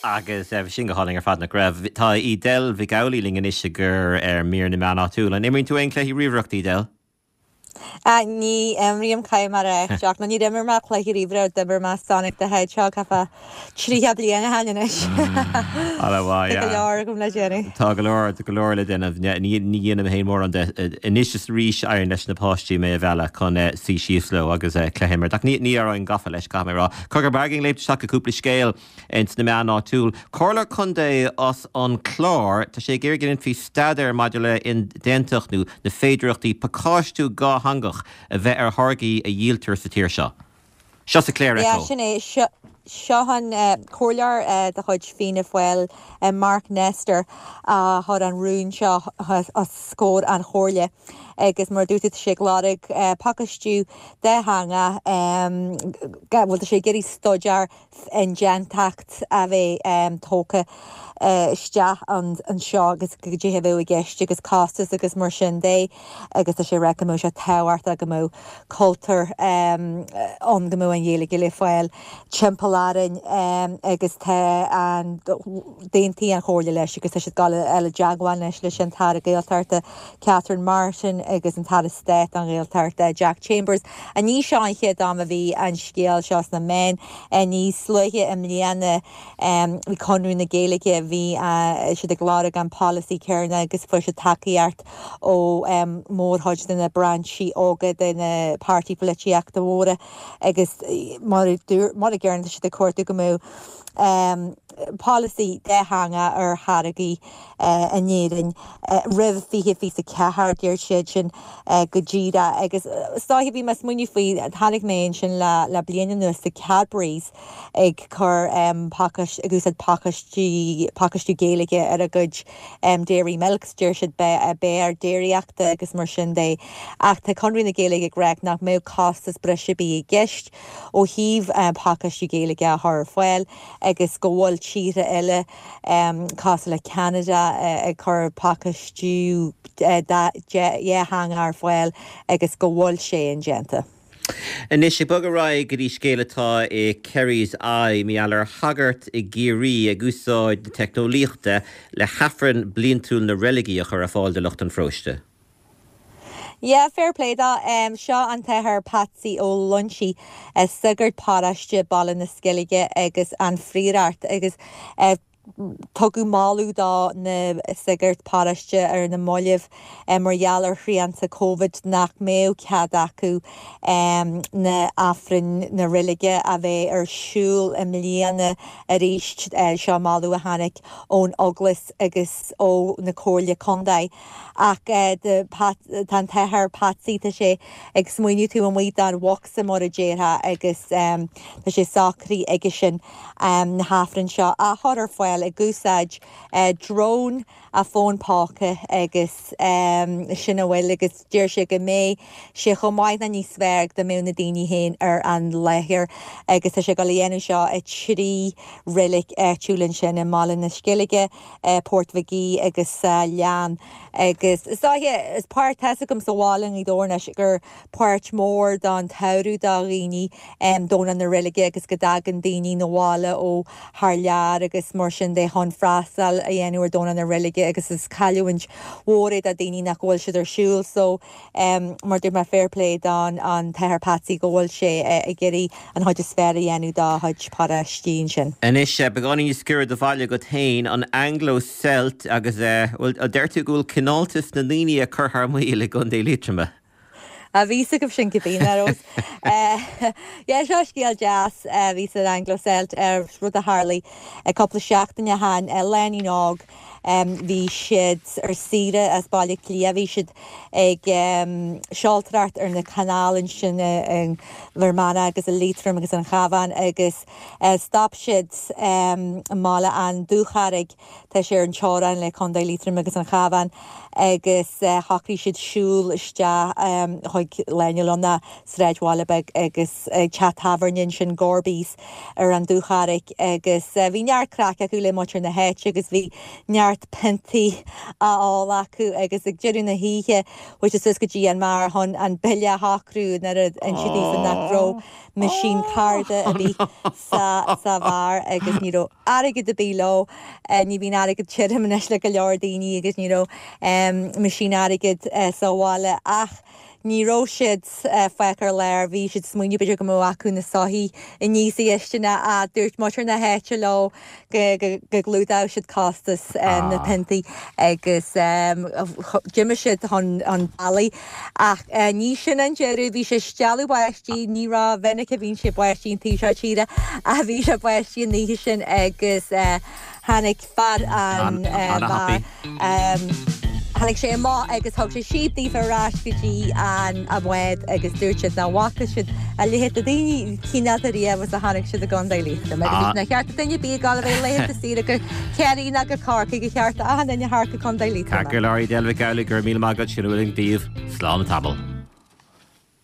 Agus bhí sin go hálainn ar fad, nach raibh? Tá Edel Mhic Amhlaigh linn anois ag cur ar mír na meán áitiúil. An imríonn tú aon cluichí ríomhaireachta, Edel? Ní imrím, caithfidh mé a rá, ach nó níor imir mé cluiche ríomhaire ó d'imir mé Sonic the Hedgehog thart fá 30 bliain ó shin anois. Ana mhaith, Tá go leor agam le déanamh. Tá go leor, tá go leor le déanamh. Ní dhéanaim féin mórán de. Anois is arís éiríonn leis na páistí mé a mhealladh chun suí síos leo agus cluiche a imirt. Ach ní éireoinn gafa leis, caithfidh mé a rá. Cogar beag ag léimt isteach i gcúpla scéal. Ins na meáin áitiúil. Comhairleoir Contae as an Clár, tá sé ag iarraidh go ndéanfaí staidéar maidir le indéantacht nó na féidireachtaí pacáistiú dhátheangach a bheith ar tháirgí a dhíoltar sa tír seo. Seo sa Clare Echo. Yeah, sin é. Seo an comhairleoir de chuid Fianna Fáil, Mark Nestor, a chuir an rún seo os comhair an chomhairle. Agus mar a dúirt tú, tá sé ag lorg pacáistiú dátheangach, bhuel tá sé ag iarraidh staidéar indéantacht a bheith tógtha isteach anseo agus goidé a bheadh i gceist agus costas agus mar sin de agus tá sé ag rá go mbeadh sé tábhachtach go mbeadh cultúr ann go mbeadh an Ghaeilge le fáil timpeall orainn agus tá an d'aontaigh an Chomhairle leis agus tá siad ag dul a dhul i dteagmháil anois leis an tAire Gaeltachta Catherine Martin agus an tAire Stáit don Ghaeltacht Jack Chambers. Ní seo an chéad am a bhí an scéal seo sna meáin. Níos luaithe i mbliana bhí Conradh na Gaeilge, bhí siad ag lorg an polasaí céanna agus fuair siad tacaíocht ó mhórchuid de na brainsí óga de na páirtí polaitíochta mhóra agus mar a deirim tá siad ag cuartú go mbeadh polasaí dátheangach ar tháirgí in Éirinn roimh 2024, deir siad sin go díreach. Agus is dóiche, bhí mé ag smaoineamh faoi, tháinig mé ansin le bliain anuas tá Cadbury's ag cur pacáist, ag úsáid pacáistí, pacáistiú Gaeilge ar a gcuid Dairy Milks, deir siad beár déiríochta agus mar sin de. Ach tá Conradh na Gaeilge ag rá nach mbeadh costas breise ar bith i gceist ó thaobh pacáistiú Gaeilge a chur ar fáil agus go bhfuil tíortha eile cosúil le Ceanada ag cur pacáistiú dhátheangach ar fáil agus go bhfuil sé indéanta. Anois, ag bogadh ar aghaidh go dtí scéal atá i Kerry's Eye, mar gheall ar shagart i gCiarraí ag úsáid na teicneolaíochta le hAifreann bliantúil na reiligí a chur ar fáil do lucht an pharóiste. Yeah, fair play dó. Seo an tAthair Patsy Ó Loinsigh, sagart paróiste Baile na Sceilge agus an Phrióireacht agus tugadh moladh do na sagairt paróiste ar na mallaibh mar gheall ar shrianta Covid nach mbeadh cead acu na Aifrinn na reilige a bheith ar siúl i mbliana arís. Seo moladh a tháinig ón Eaglais agus ó na Comhairle Contae. Ach tá an tAthair Patsy, tá sé ag smaoineamh taobh amuigh den bhocsa mar a déarfá agus tá sé socraithe aigesean na hAifrinn seo a chur ar fáil ag úsáid drone, a fón póca agus sin a bhfuil agus deir sé go mbeidh sé chomh maith nó níos fearr dá mbeadh na daoine féin ar an láthair agus tá sé ag dul a dhéanamh seo i dtrí reilig áitiúil ansin i mBaile na Sceilge. Port Mhig Aoidh agus sa Leann agus is dóiche, is páirt, tá's agam sa bhaile i nGaoth Dobhair anois gur páirt mhór don tsamhradh do dhaoine Domhnach na Reilige agus go dtagann daoine 'na bhaile ó thar lear agus mar sin de chun freastal a dhéanamh ar Domhnach na Reilige agus is cailliúint mhór é do daoine nach bhfuil siad ar siúl so Mar dúirt mé, fair play don an tAthair Patsy go bhfuil sé ag iarraidh an chuid is fearr a dhéanamh dá chuid paróistí ansin. Anois, beagáinín níos giorra do bhaile agat féin, an Anglo-Celt agus, bhuel, deir tú go bhfuil cineáltas na ndaoine ag cur thar maoil i gContae Liatroma. Bhí fhios agaibh sin cibé, nach raibh? Yeah, seo scéal deas a bhí san Anglo-Celt, rud a tharlaigh cúpla seachtain ó shin, lánúin óg, Bhí siad ar saoire as Baile Átha Cliath, bhí siad ag seoltóireacht ar na canáil ansin i bhFear Manach agus i Liatroim agus an Chabhán agus stop siad i mbaile an Dúcharraig, tá sé ar an teorainn le Contae Liatroim agus an Chabhán, agus shocraigh siad siúl isteach chuig lánúin sráidbhaile beag agus teach tábhairne ansin, Gorby's. ar an Dúcharraig agus bhí neart craic acu le muintir na háite agus bhí neart. neart piontaí á ól acu agus ag deireadh na hoíche chuaigh siad suas go dtí an mbeár chun an bille a shocrú nuair a insíodh daofa nach raibh meaisín cárta ar bith sa sa bheár agus ní raibh airgead ar bith leo. Ní bhíonn airgead tirim anois le go leor daoine agus ní raibh meaisín airgid sa bhaile ach ní raibh siad fágtha ar lár, bhí siad ag smaoineamh b'fhéidir go mbeadh acu na soithí aníos sa gcistin ach dúirt muintir na háite leo go gclúdódh siad costas na bpiontaí agus d'imigh siad chun bealaigh. Ach ní sin an deireadh, bhí sé ag stealladh báistí, ní rómhinic a bhíonn sé ag báistí an taobh seo tíre ach bhí sé ag báistí an oíche sin agus tháinig fear an bheáir, tháinig sé amach agus thug sé síob daofa ar ais go dtí an bhád agus dúirt siad nach bhfaca siad a leithéid de daoine cineálta riamh is a chonaic siad i gContae Liatroma. Agus níor cheart do duine ar bith ag gabháil a bheith laethanta saoire go Ciarraí ná go Corcaigh, ba cheart do achan duine theacht go Contae Liatroma. Ceart go leor, Edel Mhic Amhlaigh, go raibh míle maith agat, sin a bhfuil againn daoibh. Slán tamall.